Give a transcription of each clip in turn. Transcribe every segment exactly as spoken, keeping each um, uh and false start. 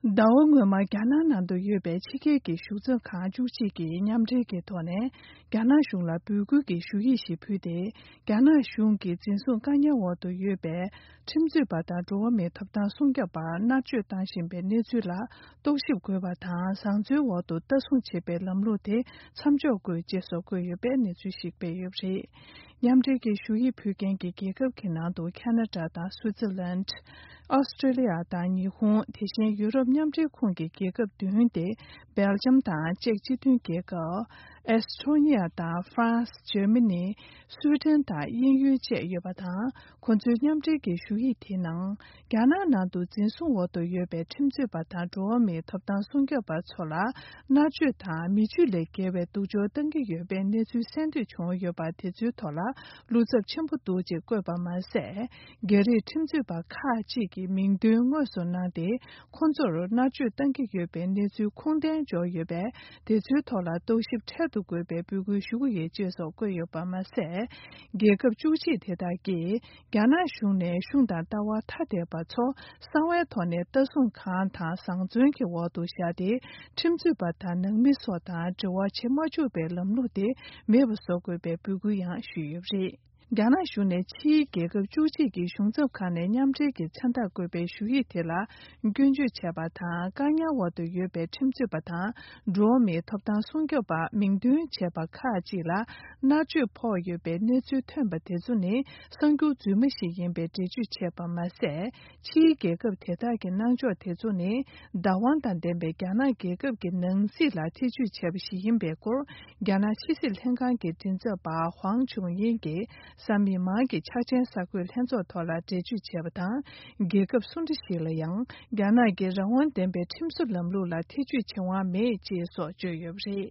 ཟླ་བ་སྔོན་མ་རྒྱ་ནག་ནང་དུ་ཡོད་པའི་ཕྱི་རྒྱལ་གྱི་གཞུང་ཚབ་ཁང་བཅུ་གཅིག་གིས་མཉམ་འབྲེལ་གྱི་ཐོག་ནས་རྒྱ་ནག་གཞུང་ལ་འབོད་སྐུལ་གྱི་ཞུ་ཡིག་ཞིག་ཕུལ་ཏེ། རྒྱ་ནག་གཞུང་གིས་འཛིན་བཟུང་བཀག་ཉར་འོག་ཏུ་ཡོད་པའི་ཁྲིམས་རྩོད་པ་དང་འགྲོ་བ་མིའི་ཐོབ་ཐང་སྲུང་སྐྱོབ་པར་མནར་གཅོད་བཏང་བཞིན་པའི་གནས་ཚུལ་ལ་རྟོག་ཞིབ་དགོས་པ་དང་། བཟང་བཙོན་འོག་ཏུ་ལྟ་སྲུང་བྱེད་པའི་ལམ་ལུགས་དེ་མཚམས་འཇོག་དགོས། ཅེས་སོགས་བཀོད་ཡོད་པའི་གནས་ཚུལ་ཞིག་སྤེལ་ཡོད་པ་རེད། མཉམ་འབྲེལ་གྱི་ཞུ་ཡིག་ཕུལ་མཁན་གྱི་རྒྱལ་ཁབ་ཀྱི་ནང་དུ་ཁ་ན་ཌ་དང་སུའུ་ཙི་ལན། ཨོ་སི་ཀྲི་ལི་ཡ་དང་ཉི་ཧོང་། དེ་བཞིན་ཡུ་རོབ་མཉམ་འབྲེལ་ཁོངས་ཀྱི་རྒྱལ་ཁབ་བདུན་ཏེ། སྦེལ་ཇམ་དང་ཅེཀ་སྤྱི་མཐུན་རྒྱལ་ཁབ། ཨེ་སི་ཐོ་ནི་ཡ་དང་ཧྥ་རན་སི། འཇར་མ་ནི། སུའེ་ཏན་དང་དབྱིན་ཡུལ་བཅས་ཡོད་པ་དང་། ཁོ་ཚོའི་མཉམ་འབྲེལ་གྱི་ཞུ་ཡིག་དེའི་ནང་། རྒྱ་ནག་ནང་དུ་འཛིན་བཟུང་འོག་ཏུ་ཡོད་པའི་ཁྲིམས་རྩོད་པ་དང་འགྲོ་བ་མིའི་ཐོབ་ཐང་སྲུང་སྐྱོབ་པ་ཚོ་ལ་མནར་གཅོད་དང་མི་སྤྱོད་ལས་བརྒལ་བའི་སྡུག་སྦྱོང་བཏང་གི་ཡོད་པའི་གནས་ཚུལ་གསན་ཐོས་བྱུང་ཡོད་པ་དེ་ཚོའི་ཐོག་ལ་བློ་འཚབ་ཆེན་པོ་འདུག་ཅེས་བཀོད་པ་མ་ཟད། རྒྱ་རིགས་ཁྲིམས་རྩོད་པ་ཁག་ཅིག་གི་མིང་འདོན་དངོས་སུ་གནང་སྟེ། ཁོང་ཚོར་མནར་གཅོད་བཏང་གི་ཡོད་པའི་གནས་ཚུལ་ཁུངས་ལྡན་འབྱོར་ཡོད་པས། དེ་ཚོའི་ཐོག་ལ་རྟོག་ཞིབ་འཕྲལ་དུ་དགོས་པའི་འབོད་སྐུལ་ཞུ་གི་ཡོད། ཅེས་སོགས་བཀོད་ཡོད་པ་མ་ཟད། རྒྱལ་ཁབ་བཅུ་གཅིག་དེ་དག་གིས། རྒྱ་ནག་གཞུང་ནས་གཞུང་དང་ལྟ་བ་ཐ་དད་པ་ཚོ་གསང་བའི་ཐོག་ནས་ལྟ་སྲུང་ཁང་དང་བཟང་བཙོན་གྱི་འོག་ཏུ་བཞག་སྟེ། ཁྲིམས་རྩོད་པ་དང་ནང་མི་སོགས་དང་འབྲེལ་བ་བྱེད་མ་བཅུག་པའི་ལམ་ལུགས་དེ་མེད་པ་བཟོ་དགོས་པའི་འབོད་སྐུལ་ཡང་ཞུས་ཡོད་པ་རེད། རྒྱ་ནག་གཞུང་ནས་ཕྱིའི་རྒྱལ་ཁབ་བཅུ་གཅིག་གི་གཞུང་ཚབ་ཁང་ནས་མཉམ་འབྲེལ་གྱི་མཚན་རྟགས་བཀོད་པའི་ཞུ་ཡིག་དེ་ལ་སྐྱོན་བརྗོད་བྱས་པ་དང་། བཀག་ཉར་འོག་ཏུ་ཡོད་པའི་ཁྲིམས་རྩོད་པ་དང་། འགྲོ་བ་མིའི་ཐོབ་ཐང་སྲུང་སྐྱོབ་པ་མིང་འདོན་བྱས་པ་ཁག་ཅིག་ལ་མནར་གཅོད་ཕོག་ཡོད་པའི་གནས་ཚུལ་ཐོན་པ་དེ་ཚོ་ནི་གསར་འགྱུར་རྫུན་མ་ཞིག་ཡིན་པའི་འགྲེལ་བརྗོད་བྱས་པ་མ་ཟད། ཕྱིའི་རྒྱལ་ཁབ་དེ་དག་གི་གནང་ཕྱོགས་དེ་ཚོ་ནི་བདག་དབང་དང་ལྡན་པའི་རྒྱ་ནག་རྒྱལ་ཁབ་ཀྱི་ནང་སྲིད་ལ་ཐེ་ཇུས་བྱས་པ་ཞིག་ཡིན་པའི་སྐོར། རྒྱ་ནག་ཕྱི་སྲིད་ལྷན་ཁང་གི་མགྲིན་ཚབ་པ་ཧུའང་ཆུང་ཡིན་གྱིས། གཟའ་མིག་དམར་གྱི་འཆར་ཅན་གསར་འགོད་ལྷན་ཚོགས་ཐོག་ལ་འགྲེལ་བརྗོད་བྱས་པ་དང་། རྒྱལ་ཁབ་སུ་འདྲ་ཞིག་ལ་ཡང་རྒྱ་ནག་གི་རང་དབང་ལྡན་པའི་ཁྲིམས་བཟོ་ལམ་ལུགས་ལ་ཐེ་ཇུས་བྱེད་དབང་མེད། ཅེས་སོགས་བརྗོད་ཡོད་པ་རེད།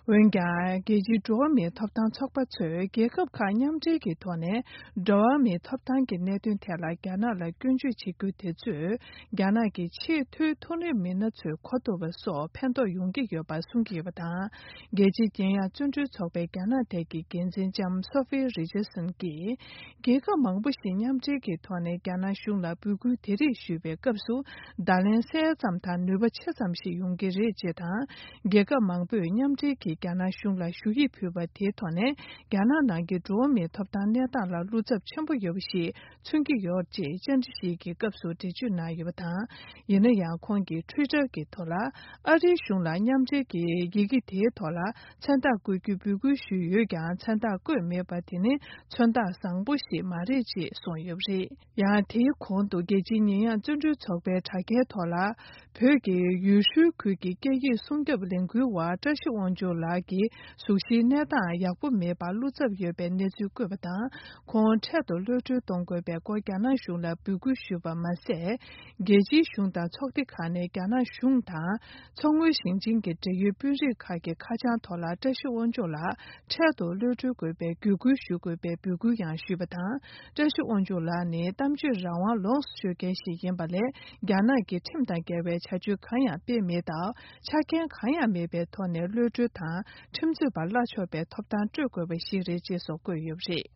འོན་ཀྱང་། རྒྱལ་སྤྱིའི་འགྲོ་བ་མིའི་ཐོབ་ཐང་ཚོགས་པ་ཚོས་རྒྱལ་ཁབ་ཁག་མཉམ་འབྲེལ་གྱི་ཐོག་ནས་འགྲོ་བ་མིའི་ཐོབ་ཐང་གི་གནད་དོན་ཐད་ལ་རྒྱ་ནག་ལ་སྐྱོན་བརྗོད་བྱེད་རྒྱུ་དེ་ཚོས། རྒྱ་ནག་གི་ཆེས་མཐོའི་མཐོ་རིམ་མི་སྣ་ཚོའི་གོ་ཐུབ་པ་སོགས་ཕན་ཐོགས་ཡོང་གི་ཡོད་པ་གསུང་གི་ཡོད་པ་དང་། རྒྱལ་སྤྱིའི་རྒྱལ་ཡོངས་བརྩོན་འགྲུས་ཚོགས་པའི་རྒྱ་ནག་ཐད་ཀྱི་འགན་འཛིན་ལྕམ་སོ་ཧྥི་རི་ཅར་སན་གྱིས། རྒྱལ་ཁབ་མང་པོ་ཞིག་མཉམ་འབྲེལ་གྱི་ཐོག་ནས་རྒྱ་ནག་གཞུང་ལ་འབོད་སྐུལ་དེ་རིགས་ཞུས་པའི་སྐབས་སུ། བརྡ་ལན་གསལ་ཙམ་དང་ནུས་པ་ཆེ་ཙམ་ཞིག་ཡོང་གི་རེད། ཅེས་དང་། རྒྱལ་ཁབ་མང་པོས་མཉམ་འབྲེལ་གྱིས་རྒྱ་ནག་གཞུང་ལ་ཞུ་ཡིག་ཕུལ་བ་དེའི་ཐོག་ནས། རྒྱ་ནག་ནང་གི་འགྲོ་བ་མིའི་ཐོབ་ཐང་གནས་སྟངས་ལ་བློ་འཚབ་ཆེན་པོ་ཡོད་པ་ཞིག་མཚོན་གྱི་ཡོད། ཅེས་བཅར་འདྲི་ཞིག་གི་སྐབས་སུ་འགྲེལ་བརྗོད་གནང་ཡོད་པ་དང་། ཡིན་ན་ཡང་། ཁོང་གིས་Twitter་གྱི་ཐོག་ལ། ཨ་རིའི་གཞུང་ལ་མཉམ་འབྲེལ་གྱི་ཡི་གེ་དེའི་ཐོག་ལ་མཚན་རྟགས་བཀོད་རྒྱུའི་འབོད་སྐུལ་ཞུས་ཡོད་ཀྱང་། མཚན་རྟགས་བཀོད་མེད་པ་དེ་ནི་མཚོན་རྟགས་བཟང་པོ་ཞིག་མ་རེད། ཅེས་གསུངས་ཡོད་པ་རེད། ཡང་། དེའི་གོང་དུ། རྒྱལ་སྤྱིའི་ཉེས་ཡངས་བརྩོན་འགྲུས་ཚོགས་པའི་དྲ་རྒྱའི་ཐོག་ལ། བོད་ཀྱི་ཡུལ་ཤུལ་ཁུལ་གྱི་སྐད་ཡིག་སྲུང་སྐྱོབ་ལས་འགུལ་བ་བཀྲ་ཤིས་དབང་ཕྱུག་ལགས་ཀྱི་གཟུགས་གཞིའི་གནས་སྟངས་ཡག་པོ་མེད་པར་བློ་འཚབ་ཡོད་པའི་གནས་ཚུལ་བཀོད་པ་དང་། ཁོང་འཕྲལ་དུ་གློད་གྲོལ་གཏོང་དགོས་པའི་སྐོར་རྒྱ་ནག་གཞུང་ལ་འབོད་སྐུལ་ཞུས་པ་མ་ཟད། རྒྱལ་སྤྱིའི་གཞུང་དང་ཚོགས་སྡེ་ཁག་ནས་རྒྱ་ནག་གཞུང་དང་། མཚོ་སྔོན་ཞིང་ཆེན་གྱི་འབྲེལ་ཡོད་དཔོན་རིགས་ཁག་གི་ཁ་བྱང་ཐོག་ལ་བཀྲ་ཤིས་དབང་ཕྱུག་ལགས་འཕྲལ་དུ་གློད་གྲོལ་དགོས་པའི་བརྒྱུད་སྐུལ་ཞུ་དགོས་པའི་འབོད་སྐུལ་ཡང་ཞུས་པ་དང་། བཀྲ་ཤིས་དབང་ཕྱུག་ལགས་ནི་གཏམ་བརྗོད་རང་དབང་ལོངས་སུ་སྤྱོད་མཁན་ཞིག་ཡིན་པ་ལས། རྒྱ་ནག་གི་ཁྲིམས་དང་འགལ་བའི་བྱ་སྤྱོད་གང་ཡང་སྤེལ་མེད་སྟབས། ཆ་རྐྱེན་གང་ཡང་མེད་པའི་ཐོག་ནས་གློད་གྲོལ་དང་། ཁྲིམས་རྩོད་པ་གླ་ཆོག་པའི་ཐོབ་ཐང་སྤྲོད་དགོས་པ་ཞིག་རེད། ཅེས་སོགས་བཀོད་ཡོད་པ་རེད།